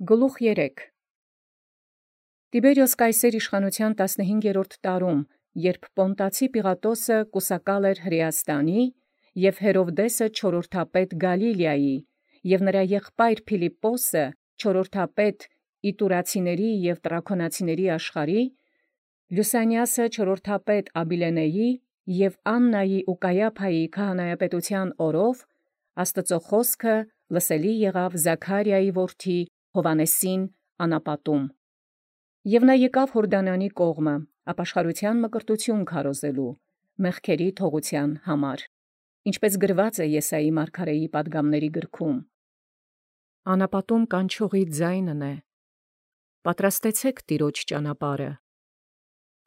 Գլուխ 3 Տիբերիոս կայսեր իշխանութեան 15-րդ տարում, երբ Պոնտացի Պիղատոսը կուսակալ էր Հրեաստանի, և Հերովդեսը չորրորդապետ Գալիլեայի, և նրա եղբայր Փիլիպպոսը չորրորդապետ Իտուրացիների և Տրաքոնացիների աշխարհի, Լյուսանիասը չորրորդապետ Աբիլենեի և Աննայի ու Կայափայի քահանայապետութեան օրով, Աստուծոյ խոսքը լսելի եղավ Զաքարիայի որդի Հովհաննեսին անապատում։ Եւ նա եկավ Յորդանանի կողմը, ապաշխարութեան մկրտութիւն քարոզելու, մեղքերի թողութեան համար, ինչպէս գրված է Եսայի մարգարեի պատգամացն գրքում. Անապատում կանչողի ձայնն է. պատրաստեցեք Տիրոջ ճանապարհը,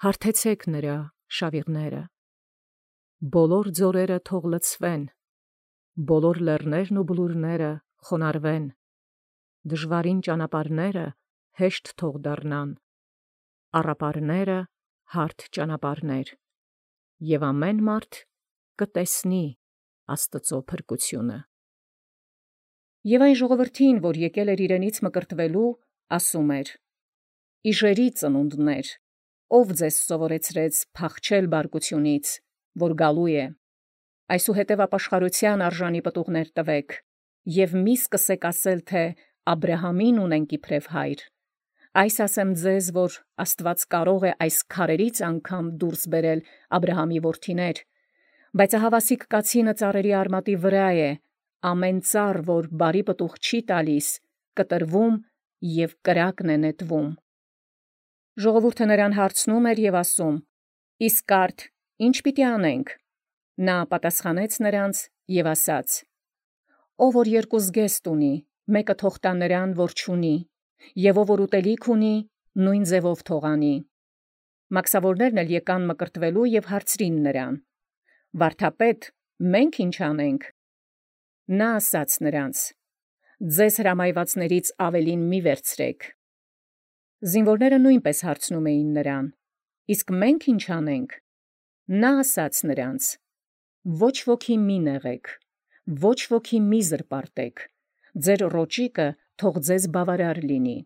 հարթեցեք նրա շավիղները, բոլոր ձորերը թող լցվեն, բոլոր լեռներն ու բլուրները խոնարհվեն, դժվարին ճանապարհները հեշտ թող դառնան, առապարները հարթ ճանապարհներ, և ամեն մարդ կտեսնի Աստուծոյ փրկութիւնը։ Եւ այն ժողովրդին, որ եկել էր իրենից մկրտվելու, ասում էր. Իժերի ծնունդներ, ով ձեզ սովորեցրեց փախչել բարկությունից, որ գալու է, այսուհետև ապաշխարութեան արժանի պտուղներ տվեք, և մի սկսեք ասել, թե Աբրահամին ունենք իբրև հայր, այս ասեմ ձեզ, որ Աստուած կարող է այս քարերից անգամ դուրս բերել Աբրահամի որդիներ, բայց ահավասիկ կացինը ծառերի արմատի վրա է, ամեն ծառ, որ բարի պտուղ չի տալիս, կտրվում և կրակն է նետվում։ Ժողովուրդը նրան հարցնում էր և ասում. իսկ արդ ի՞նչ պիտի անենք։ Նա պատասխանեց նրանց և ասաց. ով որ երկու զգեստ ունի, մեկը թող տա նրան, որ չունի, և ով որ ուտելիք ունի, նույն ձևով թող անի։ Մաքսավորներն էլ եկան մկրտվելու և հարցրին նրան. Վարդապետ, մենք ի՞նչ անենք։ Նա ասաց նրանց. ձեզ հրամայվածներից ավելին մի վերցրեք։ Զինվորները նույնպես հարցնում էին նրան. իսկ մենք ի՞նչ անենք։ Նա ասաց նրանց. ոչ ոքի մի նեղեք, ոչ ոքի մի զրպարտեք, ձեր ռոճիկը թող ձեզ բավարար լինի։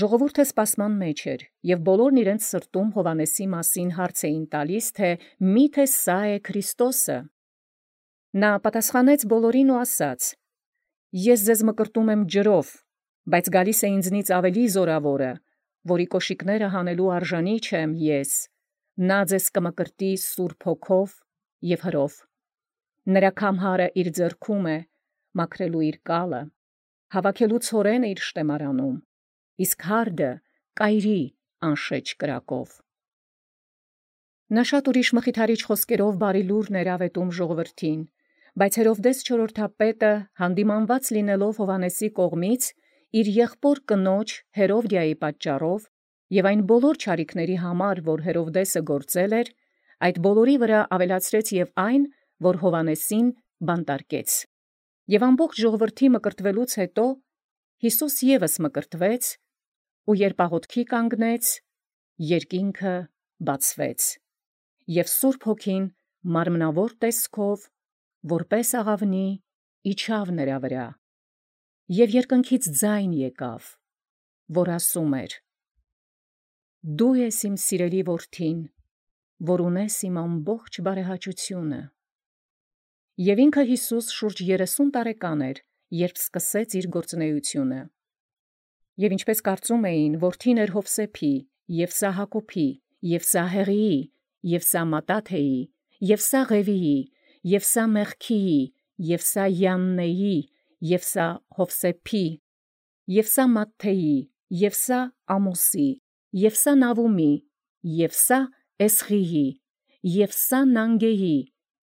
Ժողովուրդը սպասման մեջ էր, և բոլորն իրենց սրտում Հովհաննեսի մասին հարց էին տալիս, թե միթե սա է Քրիստոսը։ Նա պատասխանեց բոլորին ու ասաց. ես ձեզ մկրտում եմ ջրով, բայց գալիս է ինձնից ավելի զորավորը, որի կոշիկները հանելու արժանի չեմ ես, նա ձեզ կմկրտի Սուրբ Հոգով և հրով։ Նրա քամհարը իր ձեռքում է, մաքրելու իր կալը, հավաքելու ցորենը իր շտեմարանում, իսկ հարդը կայրի անշեջ կրակով։ Նա շատ ուրիշ մխիթարիչ խոսքերով բարի լուրն էր ավետում ժողովրդին, բայց Հերովդես չորրորդապետը հանդիմանված լինելով Հովհաննեսի կողմից, իր եղբոր կնոջ Հերովդիայի պատճառով և այն բոլոր չարիքների համար, որ Հերովդեսը գործել էր, այդ բոլորի վրա ավելացրեց և այն, որ Հովհաննեսին բանտարկեց։ Եւ ամբողջ ժողովրդի մկրտվելուց հետո Յիսուս ևս մկրտվեց, ու երբ աղոթքի կանգնեց, երկինքը բացվեց, և Սուրբ Հոգին մարմնավոր տեսքով, որպես աղավնի, իջավ նրա վրա, և երկնքից ձայն եկավ, որ ասում էր. «Դու ես իմ սիրելի որդին, որ ունես իմ ամբողջ բարեհաճությունը»։ Եւ ինքը Յիսուս շուրջ 30 տարեկան էր, երբ սկսեց իր գործունեությունը։ Եւ ինչպես կարծում էին, որդին էր Յովսեփի, և սա Հակոբի, և սա Հեղիի, և սա Մատաթեի, և սա Ղևիի, և սա Մեղքիի, և սա Յաննեի, և սա Յովսեփի, և սա Մատթեի, և սա Ամոսի, և սա Նավումի, և սա Էսղիի, և սա Նանգեի,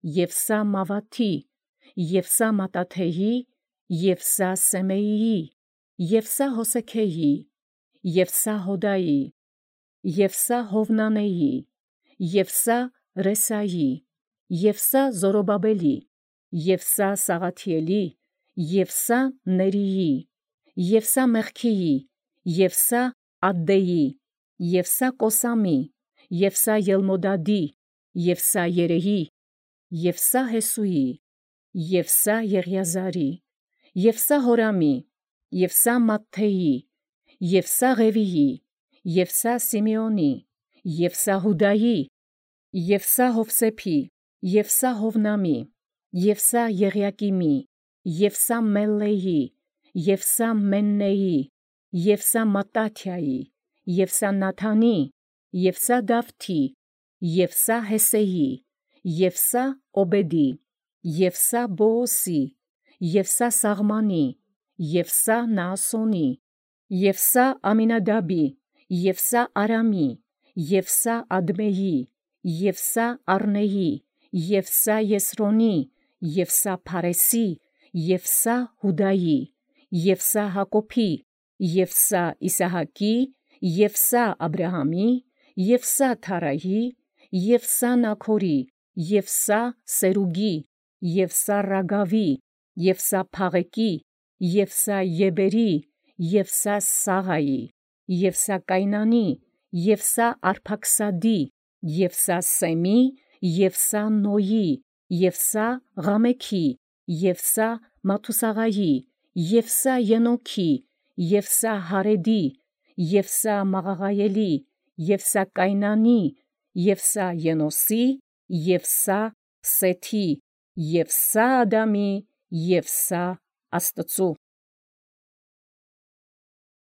և սա Մավաթի, և սա Մատաթեի, և սա Սեմեիի, և սա Հոսեքեյի, և սա Հոդայի, և սա Հովնանեի, և սա Ռեսայի, և սա Զորոբաբելի, և սա Սաղաթիելի, և սա Ներիի, և սա Մեղքիի, և սա Ադդեի, և սա Կոսամի, և սա Ելմոդադի, և սա Երեհի, և սա Հեսուի, և սա Եղիազարի, և սա Հորամի, և սա Մատթեի, և սա Ղևիի, և սա Սիմեոնի, և սա Հուդայի, և սա Հովսեփի, և սա Հովնամի, և սա Եղիակիմի, և սա Մելլեի, և սա Մեննեի, և սա Մատթաթիայի, և սա Նաթանի, և սա Դավթի, և սա Հեսեի, և սա Օբեդի, և սա Բոոսի, և սա Սաղմանի, և սա Նաասոնի, և սա Ամինադաբի, և սա Արամի, և սա Ադմեի, և սա Առնեի, և սա Եսրոնի, և սա Փարեսի, և սա Հուդայի, և սա Հակոբի, և սա Իսահակի, և սա Աբրահամի, և սա Թարայի, և սա Նաքորի, և սա Սերուգի, և սա Ռագավի, և սա Փաղեկի, և սա Եբերի, և սա Սաղայի, և սա Կայնանի, և սա Արփաքսադի, և սա Սեմի, և սա Նոյի, և սա Ղամեքի, և սա Մաթուսաղայի, և սա Ենոքի, և սա Հարեդի, և սա Մաղաղայելի, և սա Կայնանի, և սա Ենոսի, և սա Սեթի, և սա Ադամի, և սա Աստծու։